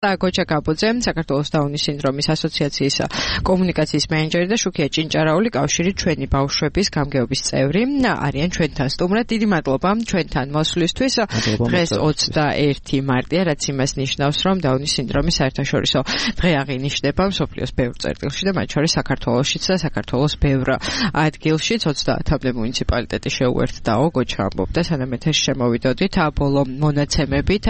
გოჩა კაპუძე, საქართველოს დაუნის სინდრომის ასოციაციის კომუნიკაციის მენეჯერი და შუქია ჭინჭარაული კავშირი ჩვენი ბავშვების გამგეობის წევრი არიან ჩვენთან სტუმრად. დიდი მადლობა ჩვენთან მოსვლისთვის. დღეს 21 მარტია, რაც იმას ნიშნავს, რომ დაუნის სინდრომის საერთაშორისო დღე აღინიშნება მსოფლიოს ბევრ წერტილში და მათ შორის საქართველოშიც და საქართველოს ბევრ ადგილშიც 30-მდე მუნიციპალიტეტი შეუერთდაო. გოჩა ამბობდა, სანამ ეთერში შემოვიდოდით ბოლო მონაცემებით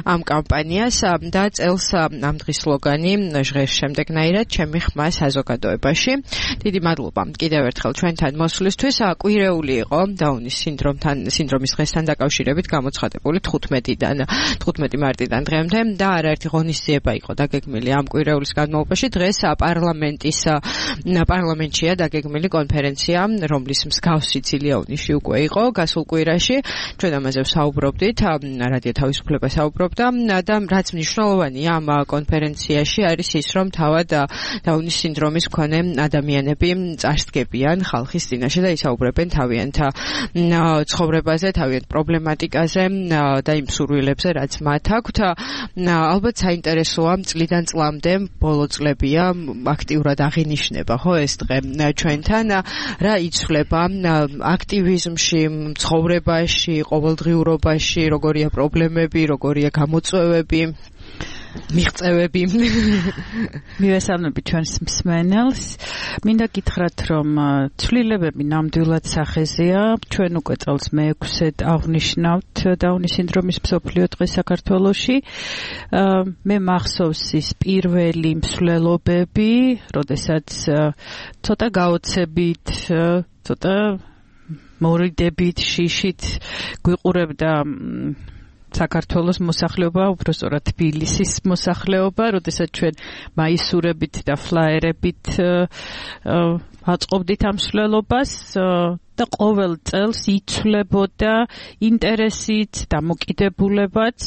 ამ კამპანიას და ამ დღის სლოგანი ჟღერს შემდეგნაირად ჩემი ხმა საზოგადოებაში. დიდი მადლობა კიდევ ერთხელ ჩვენთან მოსვლისთვის. კვირეული იყო დაუნის სინდრომის დღესთან დაკავშირებით გამოცხადებული 15 მარტიდან დღემდე და არაერთი ღონისძიება იყო დაგეგმილი ამ კვირეულის განმავლობაში. დღეს პარლამენტშია დაგეგმილი კონფერენცია, რომლის მსგავსი ცილიაუნიში უკვე იყო გასულ კვირაში. ჩვენ ამაზე ვსაუბრობდით, რადიო თავისუფლება საუბრობდა და რაც მნიშვნელოვანია ამ კონფერენციაში არის ის, რომ თავად დაუნის სინდრომის მქონე ადამიანები წარსდგებიან ხალხის წინაშე და ისაუბრებენ თავიანთ ცხოვრებაზე, თავიანთ პრობლემატიკაზე და იმ სურვილებზე, რაც მათ აქვთ. ალბათ საინტერესოა წლიდან წლამდე ბოლო წლებია აქტიურად აღინიშნება ხო ეს დღე ჩვენთან, რა იცვლება აქტივიზმში, ცხოვრებაში, ყოველდღიურობაში, როგორია პრობლემები, როგორია გამოწვევები, მიღწევები. მივესალმები ჩვენს მსმენელს. მინდა გითხრათ, რომ ცვლილებები ნამდვილად სახეზეა. ჩვენ უკვე წელს მე-6-ად აღნიშნავთ დაუნის სინდრომის მსოფლიო დღეს საქართველოში. მე მახსოვს ის პირველი მსვლელობები, როდესაც ცოტა გაოცებით, ცოტა მორიდებით, შიშით გვიყურებდა საქართველოს მოსახლეობა, უბრალოდ თბილისის მოსახლეობა, როდესაც ჩვენ მაისურებით და ფლაერებით აწყობდით ამ მსვლელობას და ყოველ წელს იცვლებოდა ინტერესით, დამოკიდებულებაც.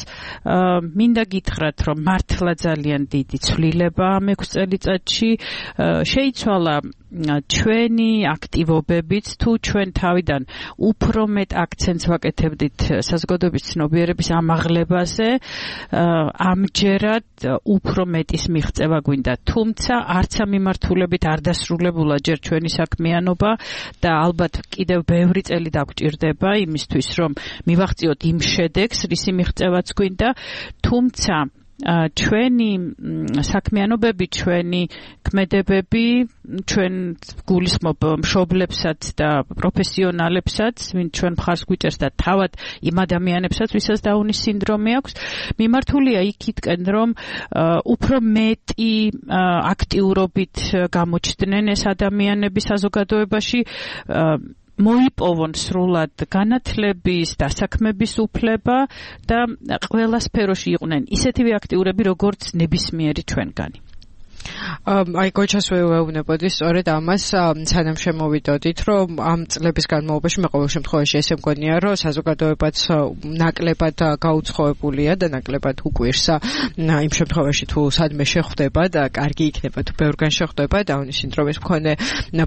მინდა გითხრათ, რომ მართლა ძალიან დიდი ცვლილება ამ 6 წელიწადში შეიცვალა ჩვენი აქტივობებით, თუ ჩვენ თავიდან უფრო მეტ აქცენტს ვაკეთებდით საზოგადოების ცნობიერების ამაღლებაზე, ამჯერად უფრო მეტის მიღწევა გვინდა. თუმცა არც ამ მიმართულებით არ დასრულებულა ჯერ ჩვენი საქმიანობა და ალბათ კიდევ ბევრი წელი დაგვჭირდება იმისთვის, რომ მივაღწიოთ იმ შედეგს, რისი მიღწევაც გვინდა. თუმცა ჩვენი საქმიანობები, ჩვენი ქმედებები, ჩვენ გულისხმობ მშობლებსაც და პროფესიონალებსაც, ვინც ჩვენ მხარს გვიჭერს და თავად იმ ადამიანებსაც, ვისაც დაუნის სინდრომი აქვს, მიმართულია იქითკენ, რომ უფრო მეტი აქტიურობით გამოჩნდნენ ეს ადამიანები საზოგადოებაში, მოიპოვონ სრულად განათლების, დასაქმების უფლება და ყველა სფეროში იყვნენ ისეთივე აქტიურები, როგორც ნებისმიერი ჩვენგანი. აი გოჩას ვეუბნებოდი სწორედ ამას, სანამ შემოვიდოდით, რომ ამ წლების განმავლობაში მე ყოველ შემთხვევაში ესე მგონია, რომ საზოგადოებაც ნაკლებად გაუცხოებულია და ნაკლებად უკვირს იმ შემთხვევაში თუ სადმე შეხვდება და კარგი იქნება თუ ბევრგან შეხვდება დაუნის სინდრომის მქონე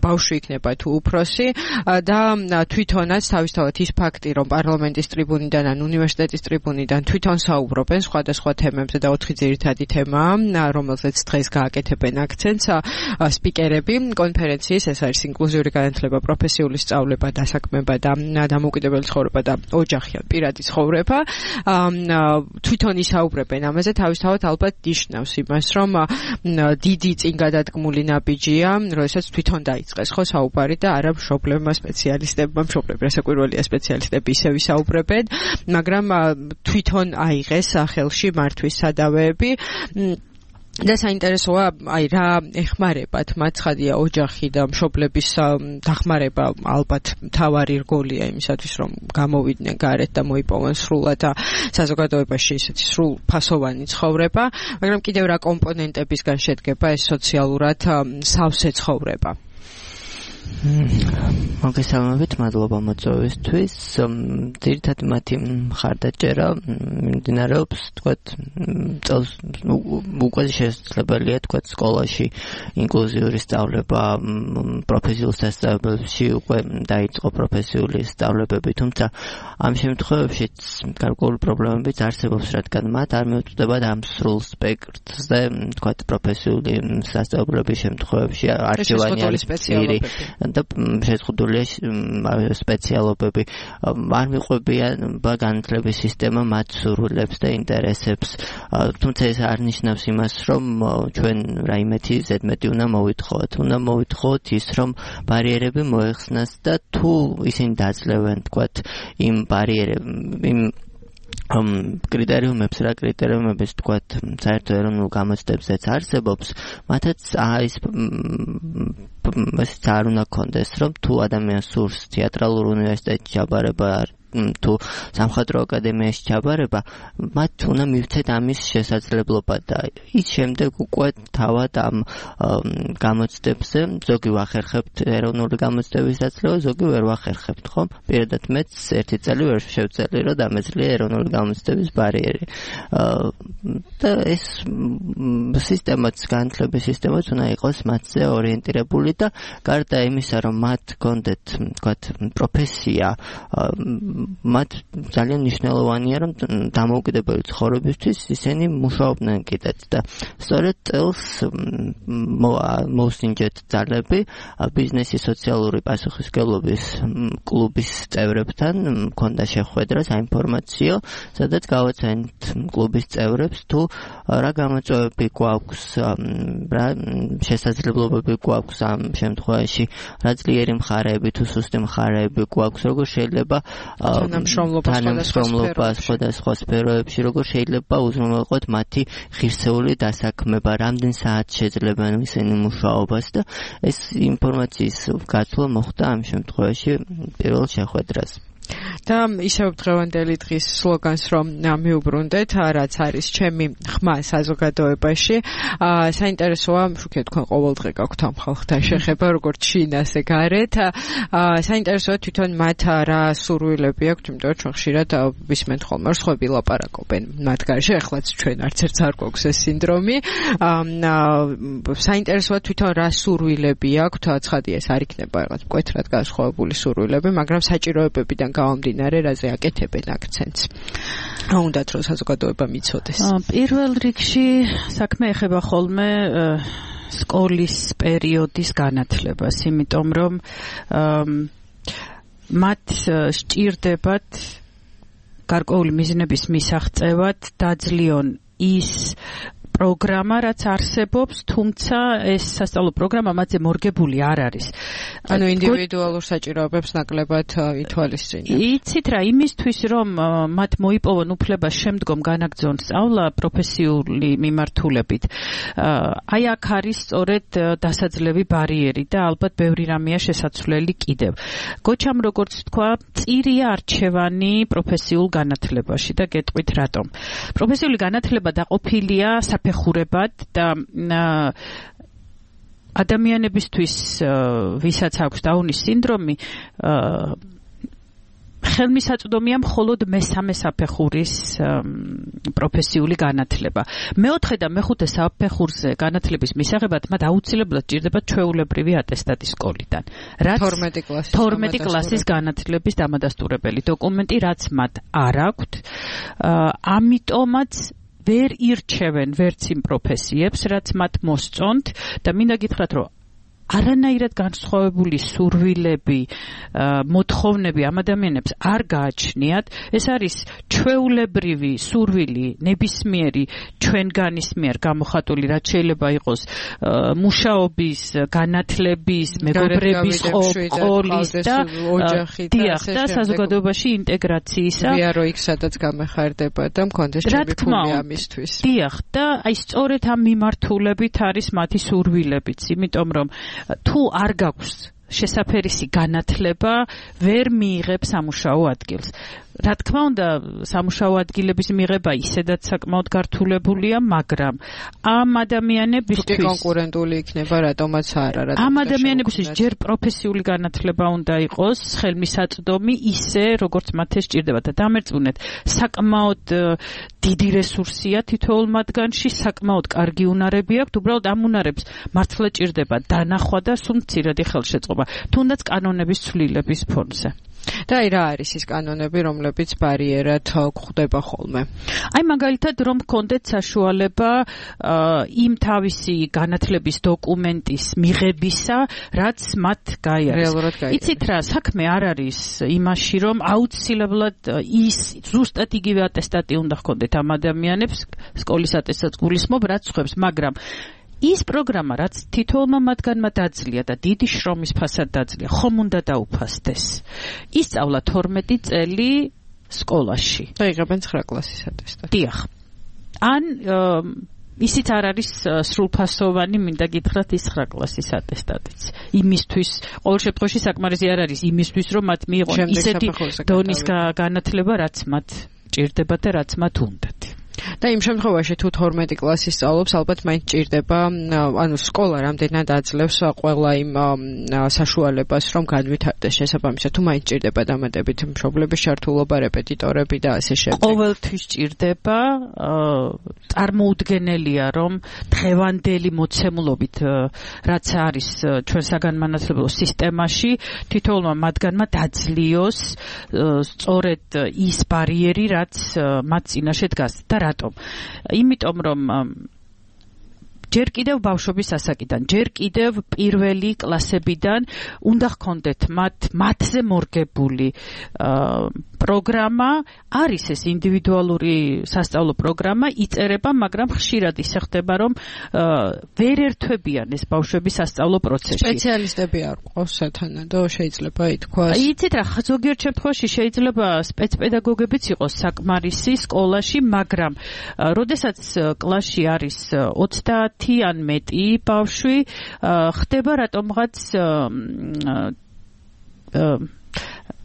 ბავშვი იქნება თუ უფროსი და თვითონაც თავისთავად ის ფაქტი, რომ პარლამენტის ტრიბუნიდან ან უნივერსიტეტის ტრიბუნიდან თვითონ საუბრობენ სხვადასხვა თემებზე და 4 ძირითადი თემაა, რომელზეც დღეს გააკეთებენ აქცენტს სპიკერები კონფერენციის, ეს არის ინკლუზიური განათლება, პროფესიული სწავლება, დასაქმება და დამოუკიდებელი ცხოვრება და ოჯახი ან პირადი ცხოვრება. თვითონ ისაუბრებენ ამაზე, თავისთავად ალბათ ნიშნავს იმას, რომ დიდი წინ გადადგმული ნაბიჯია, როდესაც თვითონ დაიწყეს ხო საუბარი და არა მშობლებმა, სპეციალისტებმა, მშობლები რასაკვირველია სპეციალისტები ისევ ისაუბრებენ, მაგრამ თვითონ აიღეს ხელში მართვის სადავეები. და საინტერესოა, აი რა ეხმარებათ მათ, ცხადია ოჯახი და მშობლების დახმარება ალბათ მთავარი რგოლია იმისათვის, რომ გამოვიდნენ გარეთ და მოიპოვონ სრულად საზოგადოებაში ისეთი სრულფასოვანი ცხოვრება, მაგრამ კიდევ რა კომპონენტებისგან შედგება ეს სოციალურად სავსე ცხოვრება? მოგესალმებით, მადლობა მოწვევისთვის. ძირითადად მათი მხარდაჭერა მიმდინარეობს, თქვათ, წელს უკვე შესაძლებელია, თქვათ, სკოლაში ინკლუზიური სწავლება, პროფესიულ სასწავლებლებში უკვე დაიწყო პროფესიული სწავლებები, თუმცა ამ შემთხვევებშიც გარკვეული პრობლემებიც არსებობს, რადგან მათ არ მიუწვდებათ ამ სრულ სპექტრზე, თქვათ, პროფესიული სასწავლებლების შემთხვევებში არჩევანი არის პირი და შეზღუდულია სპეციალობები. არ მიყვებიან განათლების სისტემა მათ სურვილებს და ინტერესებს. თუმცა ეს არ ნიშნავს იმას, რომ ჩვენ რაიმეთი ზედმეტი უნდა მოვითხოვოთ ის, რომ ბარიერები მოეხსნას და თუ ისინი დაძლევენ, თქვათ, იმ კრიტერიუმებს, რა კრიტერიუმებს, თქვათ, საერთო ეროვნულ გამოცდებზეც არსებობს, მათაც ეს არ უნდა კონდეს, რომ თუ ადამიანს სურს თეატრალურ უნივერსიტეტში ჩაბარება თუ სამხატვრო აკადემიაში ჩაბარება, მათ უნდა მივცეთ ამის შესაძლებლობა და ის შემდეგ უკვე თავად ამ გამოცდებზე ზოგი ვახერხებთ ეროვნული გამოცდების დასწრება, ზოგი ვერ ვახერხებთ, ხო? პირადად მეც ერთი წელი ვერ შევწელი, რომ დამეძლია ეროვნული გამოცდების ბარიერი. და ეს სისტემაც, განათლების სისტემაც უნდა იყოს მათზე ორიენტირებული და გარდა იმისა, რომ მათ გქონდეთ, თქვათ, პროფესია, მათ ძალიან მნიშვნელოვანია, რომ დამოუკიდებელი ცხოვრებისთვის ისინი მუშაობდნენ კიდეც და სწორედ წელს მოუსინჯეთ ძალები ბიზნესის სოციალური პასუხისმგებლობის კლუბის წევრებთან, მქონდა შეხვედრა, საინფორმაციო, სადაც გავაცანით კლუბის წევრებს თუ რა გამოწვევები გვაქვს, რა შესაძლებლობები გვაქვს ამ შემთხვევაში, რა ძლიერი მხარეები თუ სუსტი მხარეები გვაქვს, როგორ შეიძლება თანამშრომლობა სხვადასხვა სფეროებში, როგორ შეიძლება უზრუნველყოთ მათი ღირსეული დასაქმება, რამდენ საათს შეძლებენ ისინი მუშაობას და ეს ინფორმაციის გაცვლა მოხდა ამ შემთხვევაში პირველ შეხვედრას. და ისევ დღევანდელი დღის სლოგანს რომ მიუბრუნდეთ, რაც არის ჩემი ხმა საზოგადოებაში. საინტერესოა, შუქეთ თქვენ ყოველდღე გაქვთ ამ ხალხთან შეხება, როგორც შინ ასე გარეთ. საინტერესოა თვითონ მათ რა სურვილები აქვთ, იმიტომ რომ ჩვენ ხშირად ვისმენთ ხოლმე რომ სხვები ლაპარაკობენ მათ გარშე, ახლაც ჩვენ არც ერთს არ გვაქვს ეს სინდრომი. საინტერესოა თვითონ რა სურვილები აქვთ, ცხადია ეს არ იქნება რაღაც მკვეთრად განსხვავებული სურვილები, მაგრამ საჭიროებებიდან გამომდინარე, რაზე აკეთებენ აქცენტს. უნდათ რომ საზოგადოება მიცოდეს. პირველ რიგში საქმე ეხება ხოლმე სკოლის პერიოდის განათლებას, იმიტომ რომ მათ სჭირდებათ გარკვეული მიზნების მისაღწევად დაძლიონ ის პროგრამა, რაც არსებობს, თუმცა ეს სასწავლო პროგრამა მათზე მორგებული არ არის. ანუ ინდივიდუალურ საჭიროებებს ნაკლებად ითვალისწინებენ. იცით რა, იმისთვის რომ მათ მოიპოვონ უფლება შემდგომ განაგრძონ სწავლა პროფესიული მიმართულებით. აი აქ არის სწორედ დასაძლევი ბარიერი და ალბათ ბევრი რამეა შესაძლებელი კიდევ. გოჩამ როგორც თქვა, წირია არჩევანი პროფესიულ განათლებაში და გეტყვით რატომ. პროფესიული განათლება დაყოფილია საფეხურებად და ადამიანებისთვის, ვისაც აქვს დაუნის სინდრომი, ხელმისაწვდომია მხოლოდ მესამე საფეხურის პროფესიული განათლება. მეოთხე და მეხუთე საფეხურზე განათლების მისაღებად მათ აუცილებლად ჭირდებათ ჩვეულებრივი ატესტატი სკოლიდან. რაც 12 კლასის განათლების დამადასტურებელი დოკუმენტი, რაც მათ არ აქვთ. ამიტომაც ვერ ირჩევენ ვერც იმ პროფესიებს, რაც მათ მოსწონთ და მინდა გითხრათ, რომ არანაირად განსხვავებული სურვილები, მოთხოვნები ამ ადამიანებს არ გააჩნიათ. ეს არის ჩვეულებრივი სურვილი ნებისმიერი ჩვენგანის მიერ გამოხატული, რაც შეიძლება იყოს მუშაობის, განათლების, მეგობრების, სკოლის და ოჯახის და საზოგადოებაში ინტეგრაციისა. ვიარო იქ სადაც გამეხარდება და მქონდეს ჩემი ფული ამისთვის. დიახ, და აი სწორედ ამ მიმართულებით არის მათი სურვილებიც, იმიტომ რომ თუ არ გაქვს შესაფერისი განათლება, ვერ მიიღებს სამუშაო ადგილს. რა თქმა უნდა, სამუშაო ადგილების მიღება ისედაც საკმაოდ გართულებულია, მაგრამ ამ ადამიანებისთვის კონკურენტული იქნება, რატომაც არა. ამ ადამიანებისთვის ჯერ პროფესიული განათლება უნდა იყოს, ხელმისაწვდომი ისე, როგორც მათ ეს სჭირდება და დამერწმუნეთ, საკმაოდ დიდი რესურსია თითოეულ მათგანში, საკმაოდ კარგი უნარები აქვთ, უბრალოდ ამ უნარებს მართლა ჭირდება დანახვა და სულ მცირედი ხელშეწყობა, თუნდაც კანონების ცვლილების ფონზე. და რა არის ის კანონები, რომლებიც ბარიერად გვხვდება ხოლმე? აი მაგალითად, რომ გქონდეთ საშუალება იმ თავისი განათლების დოკუმენტის მიღებისა, რაც მათ გაიარეს. იცით რა, საქმე არ არის იმაში, რომ აუცილებლად ის ზუსტად იგივე ატესტატი უნდა გქონდეთ ამ ადამიანებს, სკოლის ატესტატს გულისხმობ, რაც ხვებს, მაგრამ ის პროგრამა, რაც თითოეულმა მათგანმა დაძლია და დიდი შრომის ფასად დაძლია, ხომ უნდა დაუფასდეს. ისწავლა 12 წელი სკოლაში. და იღებენ 9 კლასის ატესტატი. დიახ. ან ისიც არ არის სრულფასოვანი, მინდა გითხრათ, ის 9 კლასის ატესტატიც. იმისთვის, ყოველ შემთხვევაში საკმარისი არ არის იმისთვის, რომ მათ მიიღონ ისეთი დონის განათლება, რაც მათ ჭირდება და რაც მათ უნდათ. და იმ შემთხვევაში თუ 12 კლასი სწავლობს, ალბათ მაინც ჭირდება, ანუ სკოლა რამდენად აძლევს ყველა იმ საშუალებას, რომ განვითარდეს შესაბამისად, თუ მაინც ჭირდება დამატებით მშობლების ჩართულობა, რეპეტიტორები და ასე შემდეგ. ყოველთვის ჭირდება, წარმოუდგენელია, რომ დღევანდელი მოცემულობით, რაც არის ჩვენ საგანმანათლებლო სისტემაში, თითოეულმა მათგანმა დაძლიოს სწორედ ის ბარიერი, რაც მათ წინაშე დგას. და რატომ? იმიტომ რომ ჯერ კიდევ ბავშვობის ასაკიდან, ჯერ კიდევ პირველი კლასებიდან უნდა ჰქონდეთ მათზე მორგებული პროგრამა, არის ეს ინდივიდუალური სასწავლო პროგრამა, იწერება, მაგრამ ხშირად ისე ხდება, რომ ვერ ერთვებიან ეს ბავშვები სასწავლო პროცესში. სპეციალისტები არ ყავს სათანადო, შეიძლება ითქვას. იცით რა, ზოგიერთ შემთხვევაში შეიძლება სპეცპედაგოგებიც იყოს საკმარისი სკოლაში, მაგრამ როდესაც კლასში არის 30 ან მეტი ბავშვი, ხდება რატომღაც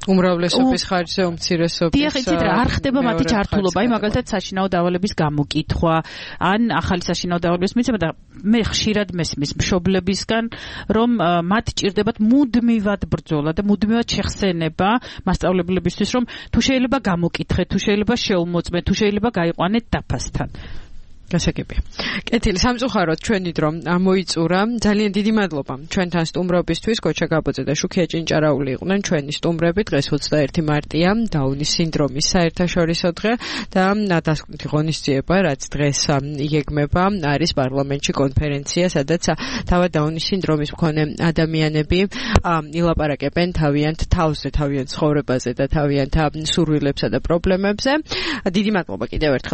უმრავლესობის ხარჯზე უმცირესობის. დიახ, იცით რა, არ ხდება მათი ჩართულობა, აი მაგალითად საშინაო დავალების გამოკითხვა, ან ახალი საშინაო დავალების მიცემა და მე ხშირად მესმის მშობლებისგან, რომ მათ ჭირდებათ მუდმივად ბრძოლა და მუდმივად შეხსენება მასწავლებლებისთვის, რომ თუ შეიძლება გამოკითხეთ, თუ შეიძლება შეუმოწმეთ, თუ შეიძლება გაიყვანეთ დაფასთან. გასაგებია. კეთილი, სამწუხაროდ ჩვენი დრო მოიწურა. ძალიან დიდი მადლობა ჩვენთან სტუმრობისთვის. გოჩა გაბოძე და შუქია ჭინჭარაული იყვნენ ჩვენი სტუმრები. დღეს 21 მარტია, დაუნის სინდრომის საერთაშორისო დღე და დასკვნითი ღონისძიება, რაც დღეს იგეგმება, არის პარლამენტში კონფერენცია, სადაც თავად დაუნის სინდრომის მქონე ადამიანები ილაპარაკებენ თავიანთ თავზე, თავიანთ ცხოვრებაზე და თავიანთ სურვილებსა და პრობლემებზე. დიდი მადლობა კიდევ ერთხელ